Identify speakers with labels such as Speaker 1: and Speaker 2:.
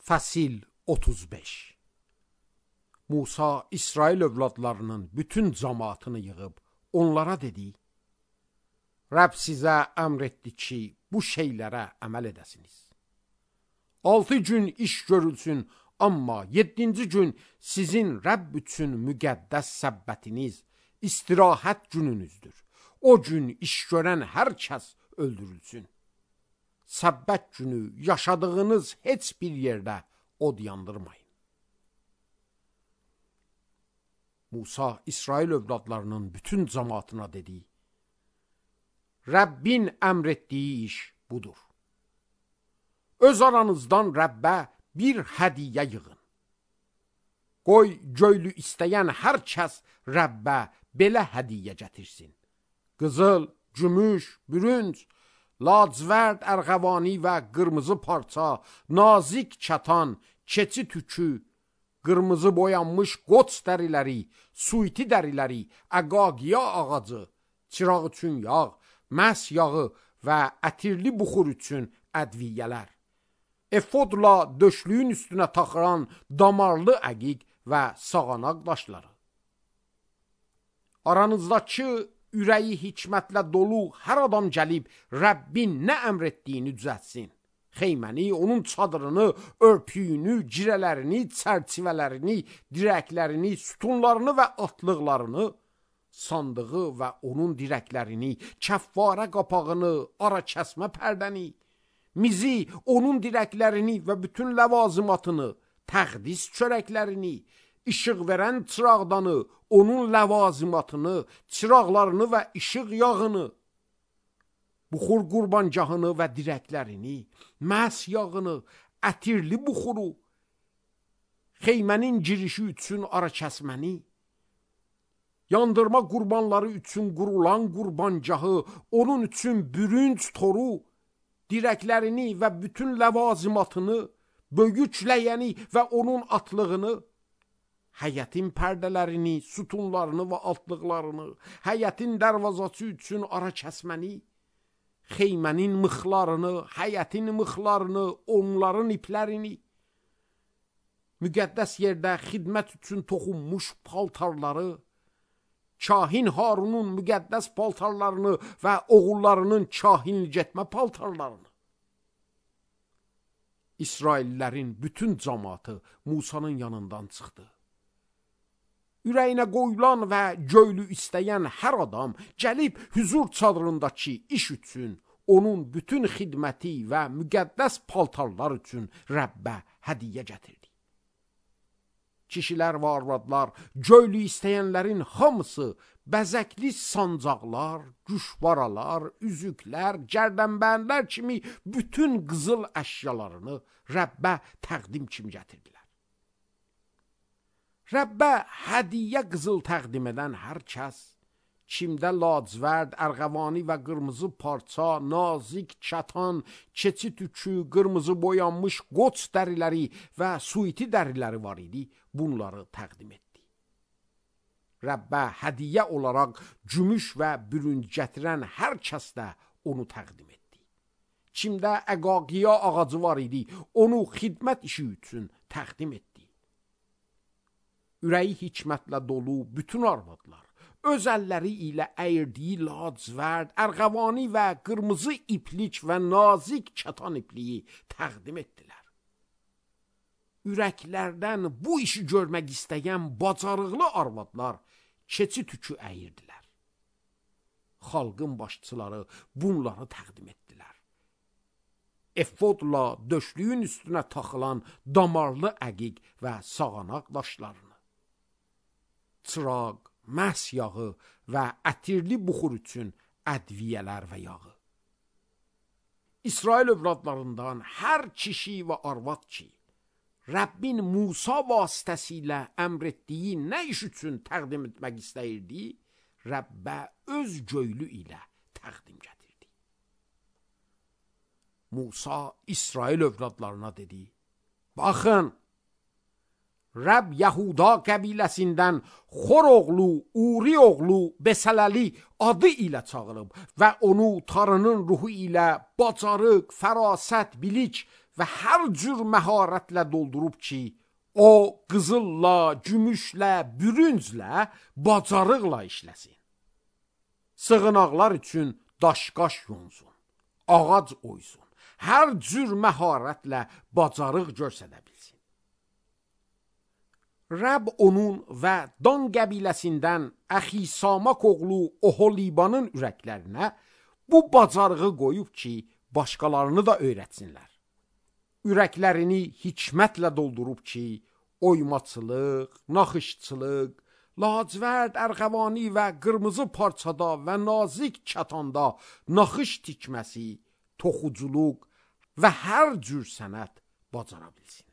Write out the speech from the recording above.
Speaker 1: Fəsil 35. Musa İsrail övladlarının bütün cəmaatını yığıb onlara dedi: Rəbb sizə əmr etdi ki, bu şeylərə əməl edəsiniz. 6 gün iş görülsün, amma 7-ci gün sizin Rəbb üçün müqəddəs səbbətiniz, istirahət gününüzdür. O gün iş görən hər kəs öldürülsün. Səbbət günü yaşadığınız heç bir yerdə od yandırmayın. Musa İsrail övladlarının bütün cəmaatına dedi: Rəbbin əmr etdiyi iş budur. Öz aranızdan Rəbbə bir hədiyyə yığın. Qoy göylü istəyən hər kəs Rəbbə belə hədiyyə gətirsin. Qızıl, gümüş, bürünc, lacivərd, ərğəvani və qırmızı parça, nazik kətan, keçi tükü, qırmızı boyanmış qoç dəriləri, suiti dəriləri, əqaqiya ağacı, çıraq üçün yağ, məhs yağı və ətirli buxur üçün ədviyyələr, efodla döşlüyün üstünə taxılan damarlı əqiq və sağanaq daşları. Aranızdakı ürəyi hikmətlə dolu hər adam gəlib Rəbbin nə əmr etdiyini düzəltsin. Xeyməni, onun çadırını, örpüyünü, girələrini, çərçivələrini, dirəklərini, sütunlarını və atlıqlarını, sandığı və onun dirəklərini, kəfvarə qapağını, ara kəsmə pərdəni, mizi, onun dirəklərini və bütün ləvazimatını, təqdis çörəklərini, işıq verən çıraqdanı, onun ləvazimatını, çıraqlarını və işıq yağını, buxur qurbancahını və dirəklərini, məhs yağını, ətirli buxuru, xeymənin girişi üçün ara kəsməni, yandırma qurbanları üçün qurulan qurbancahı, onun üçün bürünc toru, dirəklərini və bütün ləvazimatını, böyük ləyəni və onun atlığını, həyətin pərdələrini, sütunlarını və altlıqlarını, həyətin dərvazası üçün ara kəsməni, xeymənin mıxlarını, həyətin mıxlarını, onların iplərini, müqəddəs yerdə xidmət üçün toxunmuş paltarları, kahin Harunun müqəddəs paltarlarını və oğullarının kahinlik etmə paltarlarını. İsraillərin bütün cəmaatı Musanın yanından çıxdı. Ürəyinə qoyulan və göylü istəyən hər adam gəlib hüzur çadırındakı iş üçün, onun bütün xidməti və müqəddəs paltarlar üçün Rəbbə hədiyyə gətirdi. Kişilər və arvadlar, göylü istəyənlərin hamısı bəzəkli sancaqlar, güşvaralar, üzüklər, gərdənbənlər kimi bütün qızıl əşyalarını Rəbbə təqdim kimi gətirdilər. Rəbbə hədiyyə qızıl təqdim edən hər kəs, kimdə lacivərd, ərğəvani və qırmızı parça, nazik kətan, keçi tükü, qırmızı boyanmış qoç dəriləri və suiti dəriləri var idi, bunları təqdim etdi. Rəbbə hədiyyə olaraq gümüş və bürünc gətirən hər kəs də onu təqdim etdi. Kimdə əqaqiya ağacı var idi, onu xidmət işi üçün təqdim etdi. Ürəyi hikmətlə dolu bütün arvadlar, öz əlləri ilə əyirdiyi lacivərd, ərğəvani və qırmızı iplik və nazik kətan ipliyi təqdim etdilər. Ürəklərdən bu işi görmək istəyən bacarıqlı arvadlar keçi tükü əyirdilər. Xalqın başçıları bunları təqdim etdilər. Efodla döşlüyün üstünə taxılan damarlı əqiq və sağanaq daşlarını, çıraq, məhs yağı və ətirli buxur üçün ədviyyələr və yağı. İsrail övladlarından hər kişi və arvad ki, Rəbbin Musa vasitəsilə əmr etdiyi nə iş üçün təqdim etmək istəyirdi, Rəbbə öz göylü ilə təqdim gətirdi. Musa İsrail övladlarına dedi: Baxın, Rəbb Yahuda qəbiləsindən Xor oğlu, Uri oğlu Besələli adı ilə çağırıb və onu Tanrının ruhu ilə bacarıq, fərasət, bilik və hər cür məharətlə doldurub ki, o qızılla, gümüşlə, bürünclə, bacarıqla işləsin. Sığınaqlar üçün daşqaş yonsun, ağac oysun, hər cür məharətlə bacarıq göstərə bilsin. Rəbb onun və Dan qəbiləsindən Əxisamak oğlu Oholibanın ürəklərinə bu bacarığı qoyub ki, başqalarını da öyrətsinlər. Ürəklərini hikmətlə doldurub ki, oymaçılıq, naxışçılıq, lacivərd, ərğəvani və qırmızı parçada və nazik kətanda naxış tikməsi, toxuculuq və hər cür sənət bacara bilsin.